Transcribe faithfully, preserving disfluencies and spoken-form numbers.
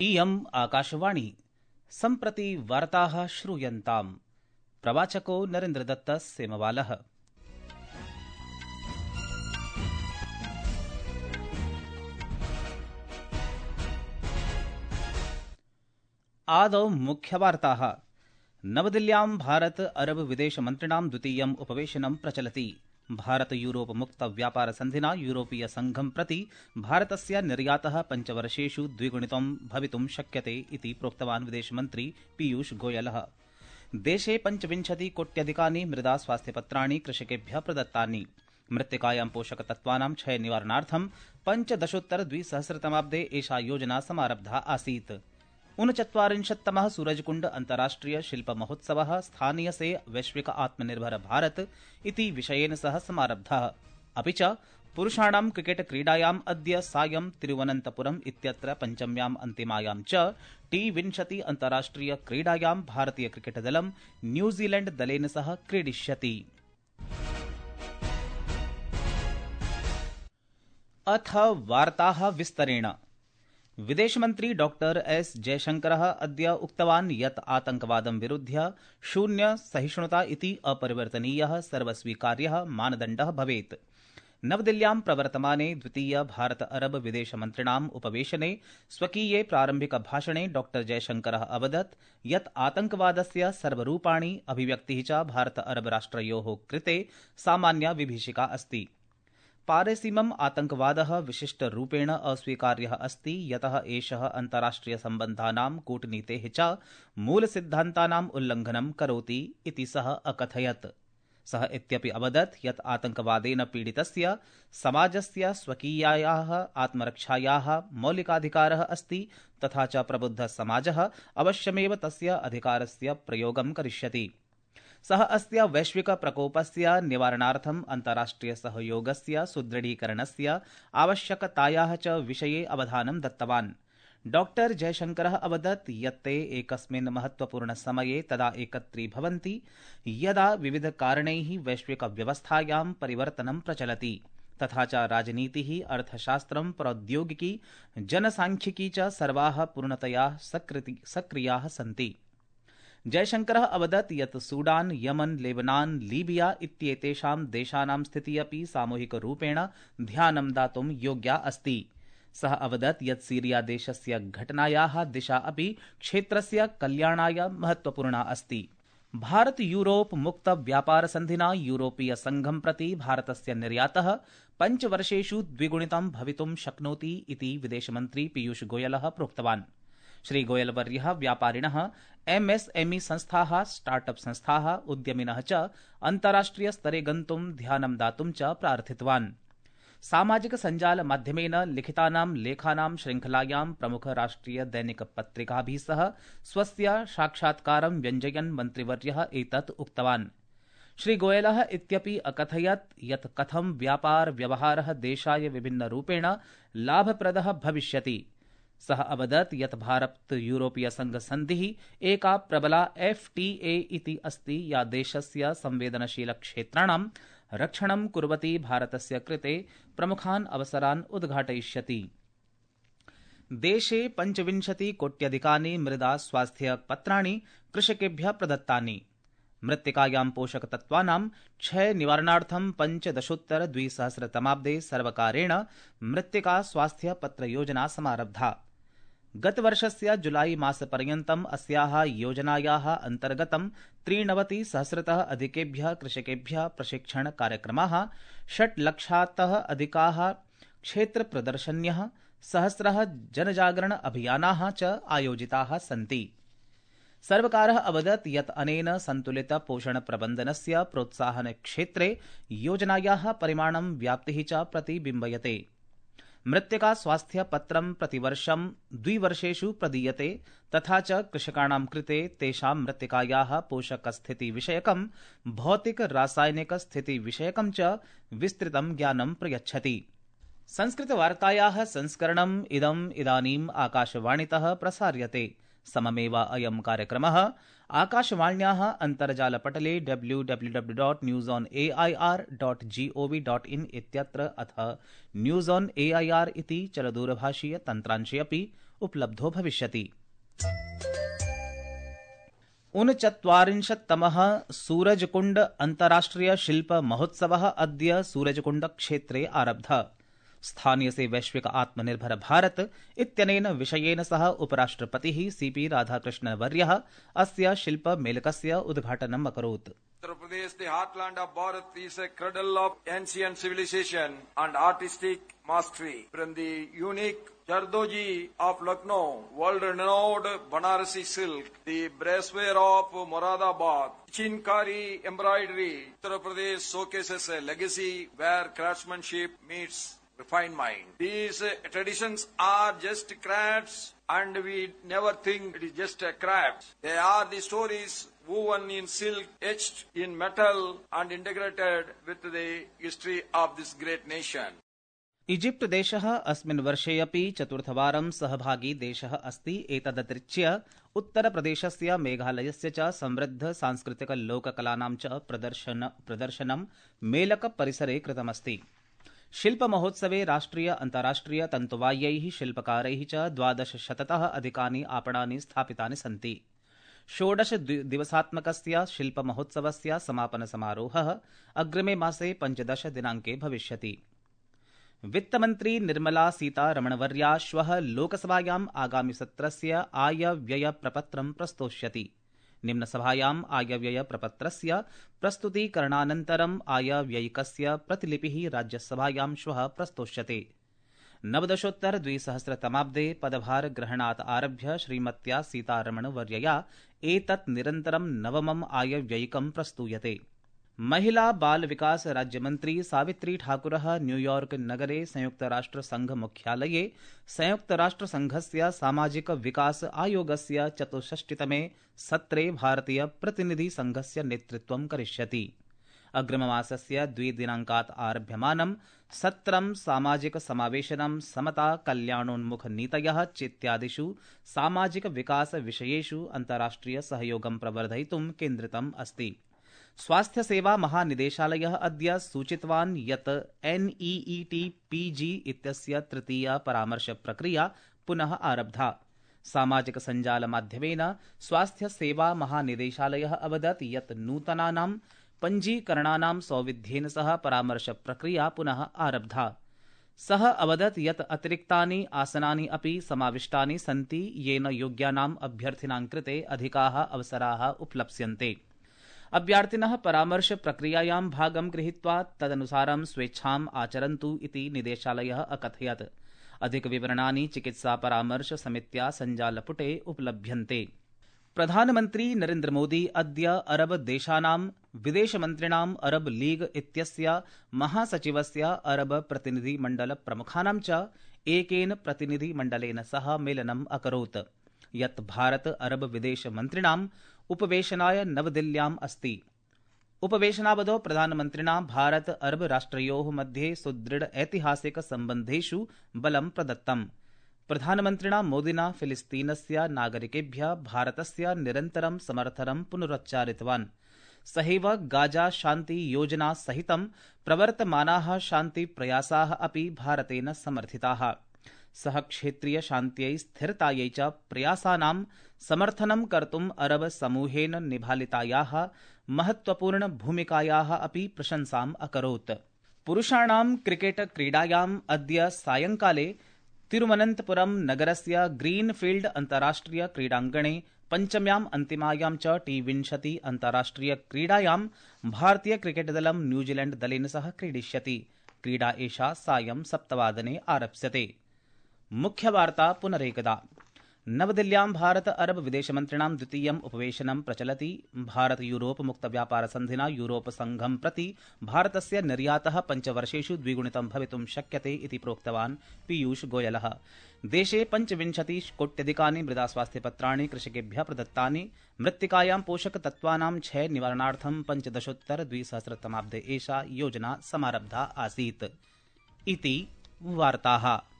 इयम् आकाशवाणी सम्प्रति वार्ताः श्रूयन्ताम्। प्रवाचको नरेन्द्रदत्त सेमवालः। आदौ मुख्यवार्ताः। नवदिल्ल्यां भारत अरब विदेशमन्त्रिणां द्वितीयम् उपवेशनं प्रचलति। भारत यूरोप मुक्त व्यापार सन्धिना यूरोपीय संघं प्रति भारतस्य निर्यातः पञ्चवर्षेषु द्विगुणितं भवितुं शक्यते इति प्रोक्तवान् विदेशमन्त्री पीयूष गोयलः। देशे पञ्चविंशति कोट्यधिकानि मृदा स्वास्थ्यपत्राणि कृषकेभ्यः प्रदत्तानि। मृत्तिकायां पोषकतत्त्वानां क्षय निवारणार्थं पञ्चदशोत्तर द्विसहस्रतमाब्दे एषा योजना समारब्धा आसीत्। ऊनचत्वारिंशत्तमः सूरजकुंड अन्ताराष्ट्रिय शिल्प महोत्सवः स्थानीय से वैश्विक आत्मनिर्भर भारत इति विषयेन सह समारब्धः। अपि च पुरुषाणां क्रिकेट क्रीडायाम् अद्य सायं तिरुवनन्तपुरम् इत्यत्र पञ्चम्याम् अन्तिमायां च टी विंशति अन्ताराष्ट्रिय क्रीडायां भारतीय क्रिकेट दलं न्यूजीलैंड दलेन सह क्रीडिष्यति। अथ वार्ताः विस्तरेण। विदेशमन्त्री डॉक्टर एस जयशंकरः अद्य उक्तवान् यत् आतंकवादं विरुध्य शून्य सहिष्णुता इति अपरिवर्तनीयः सर्वस्वीकार्यः मानदण्डः भवेत्। नवदिल्ल्यां प्रवर्तमाने द्वितीय भारत अरब विदेशमन्त्रिणाम् उपवेशने स्वकीये प्रारम्भिक भाषणे डॉक्टर जयशंकरः अवदत् यत् आतंकवादस्य सर्वरूपाणि अभिव्यक्तिः च भारत अरब राष्ट्रयोः कृते सामान्या विभीषिका अस्ति। पारेसीमम् आतंकवादः विशिष्टरूपेण अस्वीकार्यः अस्ति, यतः एषः अन्ताराष्ट्रियसम्बन्धानां कूटनीतेः च मूलसिद्धान्तानाम् उल्लङ्घनं करोति इति सः अकथयत्। सः इत्यपि अवदत् यत् आतंकवादेन पीडितस्य समाजस्य स्वकीयायाः आत्मरक्षायाः मौलिकाधिकारः अस्ति, तथा च प्रबुद्धः समाजः अवश्यमेव तस्य अधिकारस्य प्रयोगं करिष्यति। सः अस्य वैश्विक प्रकोपस्य निवारणार्थम् अन्ताराष्ट्रिय सहयोगस्य सुदृढीकरणस्य आवश्यकतायाः च विषये अवधानं दत्तवान्। डॉक्टर जयशंकरः अवदत् यत् ते एकस्मिन् महत्वपूर्णसमये तदा एकत्रीभवन्ति यदा विविधकारणैः वैश्विकव्यवस्थायां परिवर्तनं प्रचलति, तथा च राजनीतिः, अर्थशास्त्रं, प्रौद्योगिकी, जनसांख्यिकी च सर्वाः पूर्णतया सक्रियाः सन्ति। जयशंकरः अवदत् यत् सूडान, यमन, लेबनान, लीबिया इत्येतेषां देशानां स्थितिः अपि सामूहिकरूपेण ध्यानं दातुं योग्या अस्ति। सः अवदत् यत् सीरिया देशस्य घटनायाः दिशा अपि क्षेत्रस्य कल्याणाय महत्वपूर्णा अस्ति। भारत यूरोप मुक्त व्यापार सन्धिना यूरोपीय संघं प्रति भारतस्य निर्यातः पञ्चवर्षेषु द्विगुणितं भवितुं शक्नोति इति विदेशमन्त्री पीयूष गोयलः प्रोक्तवान्। श्रीगोयलवर्यः व्यापारिणः, एमएसएमई संस्थाः, स्टार्टअप संस्थाः, उद्यमिनः च अन्ताराष्ट्रियस्तरे गन्तुं ध्यानं दातुं च प्रार्थितवान्। सामाजिक सञ्जाल माध्यमेन लिखितानां लेखानां श्रृङ्खलायां प्रमुख राष्ट्रिय दैनिक पत्रिकाभिः सह स्वस्य साक्षात्कारं व्यञ्जयन् मन्त्रिवर्यः एतत् उक्तवान्। श्रीगोयलः इत्यपि अकथयत् यत् कथं व्यापार व्यवहारः देशाय विभिन्नरूपेण लाभप्रदः भविष्यति। सः अवदत् यत् भारत यूरोपीय संघ सन्धिः एका प्रबला एफटीए इति अस्ति, या देशस्य संवेदनशील क्षेत्राणां रक्षणं कुर्वती भारतस्य कृते प्रमुखान् अवसरान् उद्घाटयिष्यति। देशे पञ्चविंशति कोट्यधिकानि मृदा स्वास्थ्यपत्राणि कृषकेभ्यः प्रदत्तानि। मृत्तिकायां पोषकतत्त्वानां क्षय निवारणार्थं पञ्चदशोत्तर द्विसहस्रतमाब्दे सर्वकारेण मृत्तिका स्वास्थ्य पत्र योजना समारब्धा। गतवर्षस्य जुलाई मासपर्यन्तम् अस्याः योजनायाः अन्तर्गतं त्रिनवति सहस्रतः अधिकेभ्यः कृषकेभ्यः प्रशिक्षण कार्यक्रमाः, षट् लक्षातः अधिकाः क्षेत्रप्रदर्शन्यः, सहस्रः जनजागरण अभियानाः च आयोजिताः सन्ति। सर्वकारः अवदत् यत् अनेन सन्तुलित पोषण प्रबन्धनस्य प्रोत्साहन क्षेत्रे योजनायाः परिमाणं व्याप्तिः च प्रतिबिम्बयते। मृत्तिका स्वास्थ्य पत्रं प्रतिवर्षं द्विवर्षेषु प्रदीयते, तथा च कृषकाणां कृते तेषां मृत्तिकायाः पोषकस्थितिविषयकं, भौतिक रासायनिक स्थितिविषयकं च विस्तृतं ज्ञानं प्रयच्छति। संस्कृतवार्तायाः संस्करणम् इदम् इदानीम् आकाशवाणीतः प्रसार्यते। सममेव अयं कार्यक्रमः आकाशवाण्याः अन्तर्जालपटले W W W dot news on A I R dot G O V dot in इत्यत्र अथ news on A I R इति चलदूरभाषीय तन्त्रांशे अपि उपलब्धो भविष्यति। ऊनचत्वारिंशत्तमः सूरजकुण्ड अन्ताराष्ट्रिय शिल्प महोत्सवः अद्य सूरजकुण्ड क्षेत्रे आरब्धः। स्थानीय से वैश्विक आत्मनिर्भर भारत इत्यनेन विषयेन सह उपराष्ट्रपतिः सीपी राधाकृष्णवर्यः अस्य शिल्पमेलकस्य उद्घाटनम् अकरोत्। Uttar Pradesh, the heartland of Bharat, is a cradle of ancient civilization and artistic mastery. From the unique Jardoji of Lucknow, world-renowned Banarasi silk, the bracewear of Moradabad, Chinkari embroidery, Uttar Pradesh showcases a legacy where craftsmanship meets refined mind. These uh, traditions are just crafts, and we never think it is just a craft. They are the stories woven in silk, etched in metal, and integrated with the history of this great nation. Egypt देशः अस्मिन् वर्षे अपि चतुर्थवारं सहभागी देशः अस्ति। एतदतिरिच्य उत्तरप्रदेशस्य मेघालयस्य च समृद्ध सांस्कृतिक लोककलानां च प्रदर्शन प्रदर्शनं मेलक परिसरे कृतमस्ति। शिल्पमहोत्सवे राष्ट्रिय अन्ताराष्ट्रिय तन्तुवायैः शिल्पकारैः च द्वादशशततः अधिकानि आपणानि स्थापितानि सन्ति। षोडश दिवसात्मकस्य शिल्पमहोत्सवस्य समापनसमारोहः अग्रिमे मासे पञ्चदश दिनाङ्के भविष्यति। वित्तमन्त्री निर्मला सीतारमणवर्या श्वः लोकसभायाम् आगामिसत्रस्य आयव्ययप्रपत्रं प्रस्तोष्यति। निम्नसभायाम् आयव्ययप्रपत्रस्य प्रस्तुतीकरणानन्तरम् आयव्ययिकस्य प्रतिलिपिः राज्यसभायां श्वः प्रस्तोष्यते। नवदशोत्तर द्विसहस्रतमाब्दे पदभारग्रहणात् आरभ्य श्रीमत्या सीतारमणवर्यया एतत् निरन्तरं नवमम् आयव्ययिकं प्रस्तूयते। महिला बाल विकास राज्यमन्त्री सावित्री ठाकुरः न्यूयॉर्क नगरे संयुक्तराष्ट्रसंघ मुख्यालये संयुक्तराष्ट्रसंघस्य सामाजिक विकास आयोगस्य चतुष्षष्टितमे सत्रे भारतीय प्रतिनिधि संघस्य नेतृत्वं करिष्यति। अग्रिममासस्य द्विदिनाङ्कात् आरभ्यमानं सत्रं सामाजिक समावेशनं समता कल्याणोन्मुखनीतयः चेत्यादिषु सामाजिक विकास विषयेषु अन्ताराष्ट्रिय सहयोगं प्रवर्धयितुं केन्द्रितम् अस्ति। स्वास्थ्य सेवा महानिदेशालयः अद्य सूचितवान् यत् एनईईटी पीजी इत्यस्य तृतीया परामर्श प्रक्रिया पुनः आरब्धा। सामाजिक सञ्जाल माध्यमेन स्वास्थ्य सेवा महानिदेशालयः अवदत् यत् नूतनानां पञ्जीकरणानां सौविध्येन सह परामर्श प्रक्रिया पुनः आरब्धा। सः अवदत् यत् अतिरिक्तानि आसनानि अपि समाविष्टानि सन्ति, येन योग्यानाम् अभ्यर्थिनां कृते अधिकाः अवसराः उपलप्स्यन्ते। अभ्यर्थिनः परामर्श प्रक्रियायां भागं गृहीत्वा तदनुसारं स्वेच्छाम् आचरन्तु इति निदेशालयः अकथयत्। अधिकविवरणानि चिकित्सा परामर्श समित्या सञ्जालपुटे उपलभ्यन्ते। प्रधानमन्त्री नरेन्द्र मोदी अद्य अरब देशानां विदेशमन्त्रिणाम् अरब लीग इत्यस्य महासचिवस्य अरब प्रतिनिधिमण्डल प्रमुखानां च एकेन प्रतिनिधिमण्डलेन सह मेलनम् अकरोत्, यत् भारत अरब विदेशमन्त्रिणाम् उपवेशनाय नवदिल्ल्याम् अस्ति। उपवेशनावधौ प्रधानमन्त्रिणा भारत अरब राष्ट्रयोः मध्ये सुदृढ ऐतिहासिक सम्बन्धेषु बलं प्रदत्तम्। प्रधानमन्त्रिणा मोदिना फिलिस्तीनस्य नागरिकेभ्यः भारतस्य निरन्तरं समर्थनं पुनरुच्चारितवान्। सहैव गाजा शान्ति योजना सहितं प्रवर्तमानाः शान्तिप्रयासाः अपि भारतेन समर्थिताः। सः क्षेत्रीय शान्त्यै स्थिरतायै च प्रयासानां समर्थनं कर्तुम् अरब समूहेन निभालितायाः महत्वपूर्ण भूमिकायाः अपि प्रशंसाम् अकरोत्। पुरुषाणां क्रिकेट क्रीडायाम् अद्य सायंकाले तिरुवनन्तपुरम नगरस्य ग्रीनफील्ड अन्ताराष्ट्रिय क्रीडाङ्गणे पञ्चम्याम् अन्तिमायां च टी विंशति अन्ताराष्ट्रिय क्रीडायां भारतीय क्रिकेट दलं न्यूजीलैण्ड दलेन सह क्रीडिष्यति। क्रीडा एषा सायं सप्तवादने आरप्स्यते। मुख्यवार्ता पुनरेकदा। नवदिल्ल्यां भारत अरब विदेशमन्त्रिणां द्वितीयम् उपवेशनं प्रचलति। भारत यूरोप मुक्त व्यापार सन्धिना यूरोप संघं प्रति भारतस्य निर्यातः पञ्चवर्षेषु द्विगुणितं भवितुं शक्यते इति प्रोक्तवान् पीयूष गोयलः। देशे पञ्चविंशतिकोट्यधिकानि मृदास्वास्थ्यपत्राणि कृषकेभ्यः प्रदत्तानि। मृत्तिकायां पोषकतत्त्वानां क्षय निवारणार्थं पञ्चदशोत्तर द्विसहस्रतमाब्दे एषा योजना समारब्धा आसीत्। इति वार्ताः।